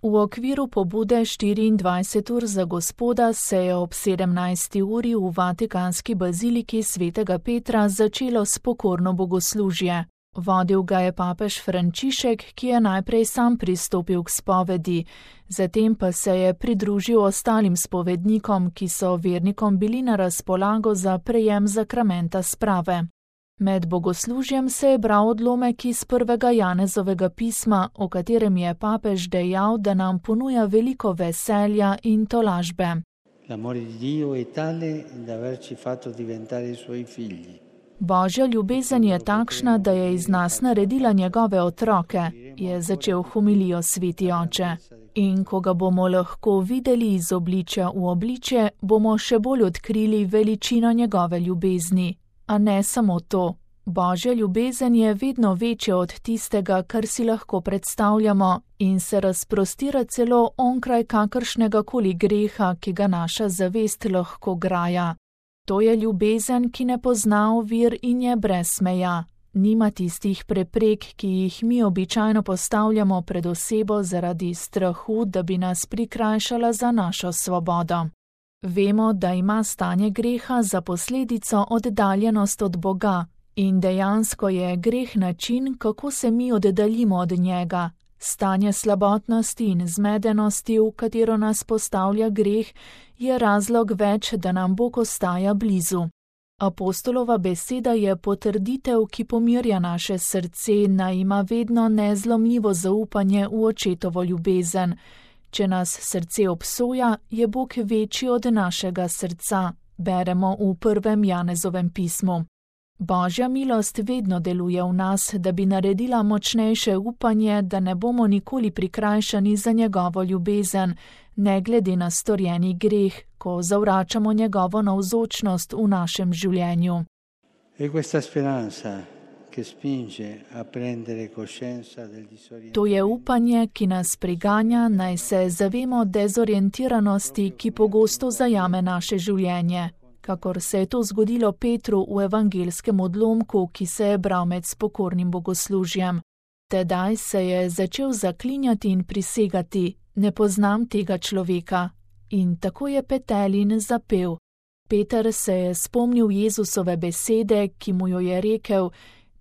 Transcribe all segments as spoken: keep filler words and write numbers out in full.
V okviru pobude štiriindvajset ur za Gospoda se je ob sedemnajsti uri v Vatikanski baziliki svetega Petra začelo s pokorno bogoslužje. Vodil ga je papež Frančišek, ki je najprej sam pristopil k spovedi, zatem pa se je pridružil ostalim spovednikom, ki so vernikom bili na razpolago za prejem zakramenta sprave. Med bogoslužjem se je bral odlomek iz prvega Janezovega pisma, o katerem je papež dejal, da nam ponuja veliko veselja in tolažbe. L'amore di Dio è tale da averci fatto diventare i suoi figli. Božja ljubezen je takšna, da je iz nas naredila njegove otroke, je začel homilijo sveti oče. In ko ga bomo lahko videli iz obličja v obličje, bomo še bolj odkrili veličino njegove ljubezni. A ne samo to. Božja ljubezen je vedno večja od tistega, kar si lahko predstavljamo, in se razprostira celo onkraj kakršnega koli greha, ki ga naša zavest lahko graja. To je ljubezen, ki ne pozna ovir in je brez meja. Nima tistih preprek, ki jih mi običajno postavljamo pred osebo zaradi strahu, da bi nas prikrajšala za našo svobodo. Vemo, da ima stanje greha za posledico oddaljenost od Boga in dejansko je greh način, kako se mi oddaljimo od njega. Stanje slabotnosti in zmedenosti, v katero nas postavlja greh, je razlog več, da nam Bog ostaja blizu. Apostolova beseda je potrditev, ki pomirja naše srce, naj ima vedno nezlomljivo zaupanje v očetovo ljubezen. Če nas srce obsoja, je Bog večji od našega srca, beremo v prvem Janezovem pismu. Božja milost vedno deluje v nas, da bi naredila močnejše upanje, da ne bomo nikoli prikrajšani za njegovo ljubezen, ne glede na storjeni greh, ko zavračamo njegovo navzočnost v našem življenju. E questa speranza che spinge a prendere coscienza del disorientamento. To je upanje, ki nas priganja, naj se zavemo dezorientiranosti, ki pogosto zajame naše življenje. Kakor se je to zgodilo Petru v evangelskem odlomku, ki se je bral med spokornim bogoslužjem. Tedaj se je začel zaklinjati in prisegati, ne poznam tega človeka. In tako je Petelin zapel. Peter se je spomnil Jezusove besede, ki mu jo je rekel,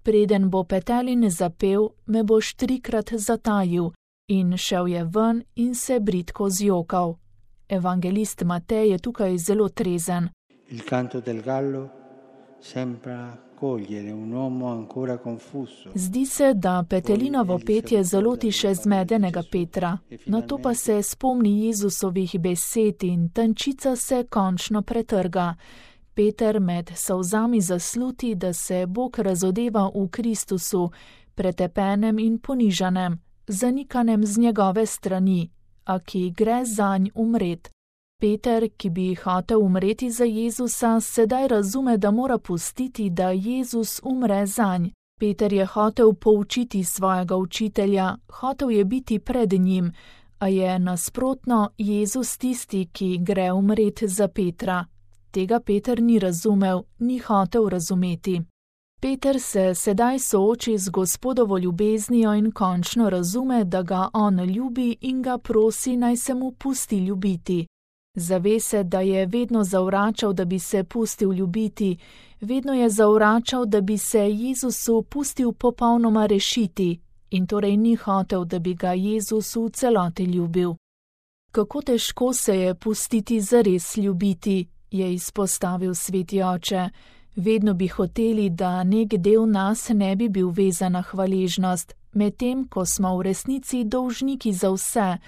preden bo Petelin zapel, me boš trikrat zatajil, in šel je ven in se bridko zjokal. Evangelist Matej je tukaj zelo trezen. Il canto del gallo sembra cogliere un uomo ancora confuso. Zdi se, da Petelinovo petje zaloti še zmedenega Petra, nato pa se spomni Jezusovih besed in tančica se končno pretrga. Peter med solzami zasluti, da se Bog razodeva v Kristusu, pretepenem in ponižanem, zanikanem z njegove strani, a ki gre zanj umret. Peter, ki bi hotel umreti za Jezusa, sedaj razume, da mora pustiti, da Jezus umre zanj. Peter je hotel poučiti svojega učitelja, hotel je biti pred njim, a je nasprotno Jezus tisti, ki gre umret za Petra. Tega Peter ni razumel, ni hotel razumeti. Peter se sedaj sooči z Gospodovo ljubeznijo in končno razume, da ga on ljubi in ga prosi, naj se mu pusti ljubiti. Zave se, da je vedno zavračal, da bi se pustil ljubiti, vedno je zavračal, da bi se Jezusu pustil popolnoma rešiti in torej ni hotel, da bi ga Jezus v celoti ljubil. Kako težko se je pustiti zares ljubiti, je izpostavil sveti oče. Vedno bi hoteli, da nek del nas ne bi bil vezan na hvaležnost, medtem ko smo v resnici dolžniki za vse,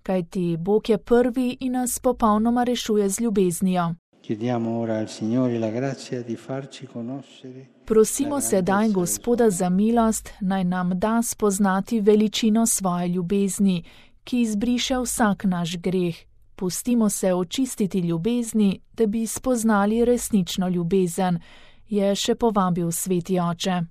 kajti Bog je prvi in nas popolnoma rešuje z ljubeznijo. Prosimo sedaj Gospoda za milost, naj nam da spoznati veličino svoje ljubezni, ki izbriše vsak naš greh. Pustimo se očistiti ljubezni, da bi spoznali resnično ljubezen, je še povabil sveti oče.